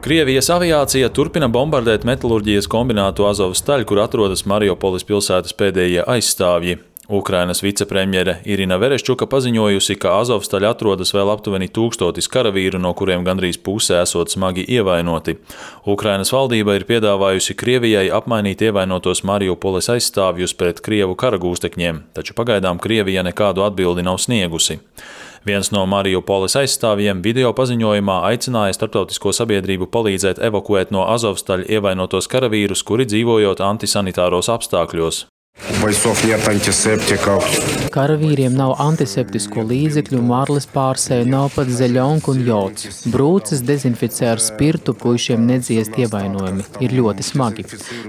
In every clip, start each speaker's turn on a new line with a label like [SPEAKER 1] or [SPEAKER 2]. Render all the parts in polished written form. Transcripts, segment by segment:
[SPEAKER 1] Krievijas aviācija turpina bombardēt metalurģijas kombinātu Azovstaļ, kur atrodas Mariupolis pilsētas pēdējie aizstāvji. Ukrainas vicepremjere Irina Vereščuka paziņojusi, ka Azovstaļ atrodas vēl aptuveni 1000 karavīru, no kuriem gandrīz puse esot smagi ievainoti. Ukrainas valdība ir piedāvājusi Krievijai apmainīt ievainotos Mariupolis aizstāvjus pret Krievu karagūstekņiem, taču pagaidām Krievija nekādu atbildi nav sniegusi. Viens no Mariupolis aizstāvjiem video paziņojumā aicināja starptautisko sabiedrību palīdzēt evakuēt no Azovstaļ ievainotos karavīrus, kuri dzīvojot antisanitāros apstākļos.
[SPEAKER 2] Karavīriem nav antiseptisko līdzekļu, marles pārsēju, nav pat zeļonka un jods. Brūces dezinficē ar spirtu, puišiem nedziest ievainojumi. Ir ļoti smagi.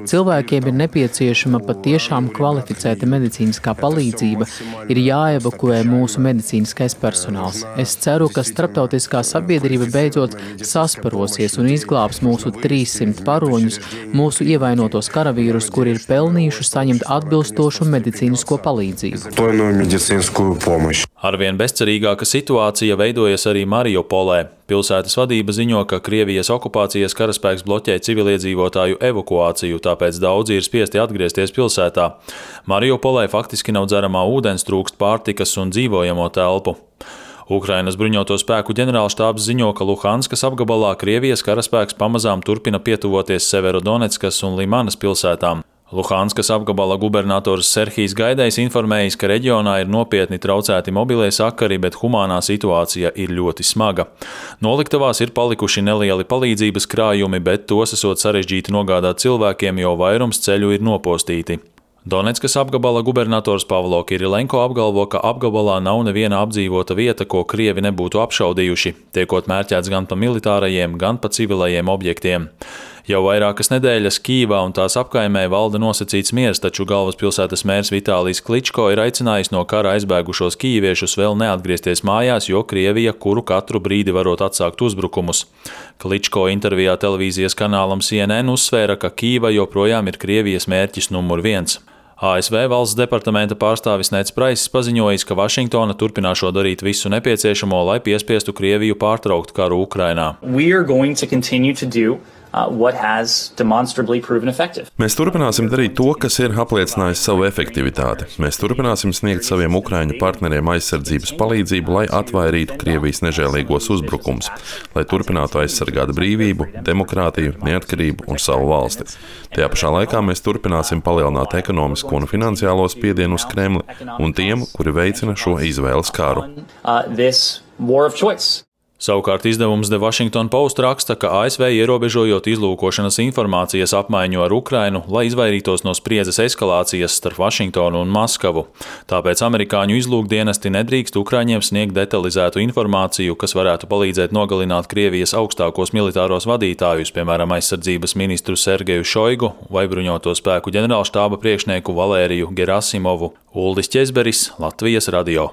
[SPEAKER 2] Cilvēkiem ir nepieciešama patiešām kvalificēta medicīniskā palīdzība, ir jāevakuē mūsu medicīniskais personāls. Es ceru, ka starptautiskā sabiedrība beidzot sasparosies un izglābs mūsu 300 paroņus, mūsu ievainotos karavīrus, kuri ir pelnījuši saņemt atbilstošu medicīnisko palīdzību.
[SPEAKER 1] Arvien bezcerīgāka situācija veidojas arī Mariupolē. Pilsētas vadība ziņo, ka Krievijas okupācijas karaspēks bloķē civiliedzīvotāju evakuāciju, tāpēc daudzi ir spiesti atgriezties pilsētā. Mariupolē faktiski nav dzeramā ūdens, trūkst pārtikas un dzīvojamo telpu. Ukrainas bruņoto spēku ģenerālštābs ziņo, ka Luhanskas apgabalā Krievijas karaspēks pamazām turpina pietuvoties Severodoneckas un Limanas pilsētām. Luhanskas apgabala gubernators Serhijs Gaidejs informējis, ka reģionā ir nopietni traucēti mobilie sakari, bet humānā situācija ir ļoti smaga. Noliktavās ir palikuši nelieli palīdzības krājumi, bet tos esot sarežģīti nogādāt cilvēkiem, jo vairums ceļu ir nopostīti. Doneckas apgabala gubernators Pavlo Kirilenko apgalvo, ka apgabalā nav neviena apdzīvota vieta, ko Krievi nebūtu apšaudījuši, tiekot mērķēts gan pa militārajiem, gan pa civilajiem objektiem. Jau vairākas nedēļas Kīvā un tās apkaimē valda nosacīts miers, taču galvaspilsētas mērs Vitālijs Kličko ir aicinājis no kara aizbēgušos kīviešus vēl neatgriezties mājās, jo Krievija kuru katru brīdi varot atsākt uzbrukumus. Kličko intervijā televīzijas kanālam CNN uzsvēra, ka Kīva joprojām ir Krievijas mērķis numur 1. ASV valsts departamenta pārstāvis Neds Praiss paziņojis, ka Vašingtona turpināšot darīt visu nepieciešamo, lai piespiestu Krieviju pārtraukt karu Ukrainā.
[SPEAKER 3] Mēs turpināsim darīt to, kas ir apliecinājis savu efektivitāti. Mēs turpināsim sniegt saviem Ukraiņu partneriem aizsardzības palīdzību, lai atvairītu Krievijas nežēlīgos uzbrukums, lai turpinātu aizsargāt brīvību, demokrātiju, neatkarību un savu valsti. Tajā pašā laikā mēs turpināsim palielināt ekonomisko un finansiālo spiedienu uz Kremli un tiem, kuri veicina šo izvēles karu.
[SPEAKER 1] Savukārt izdevums The Washington Post raksta, ka ASV ierobežojot izlūkošanas informācijas apmaiņu ar Ukrainu, lai izvairītos no spriedzes eskalācijas starp Vašingtonu un Maskavu. Tāpēc amerikāņu izlūkdienesti nedrīkst Ukraiņiem sniegt detalizētu informāciju, kas varētu palīdzēt nogalināt Krievijas augstākos militāros vadītājus, piemēram, aizsardzības ministru Sergeju Šoigu vai bruņoto spēku ģenerālštāba priekšnieku Valēriju Gerasimovu. Uldis Ķezberis, Latvijas radio.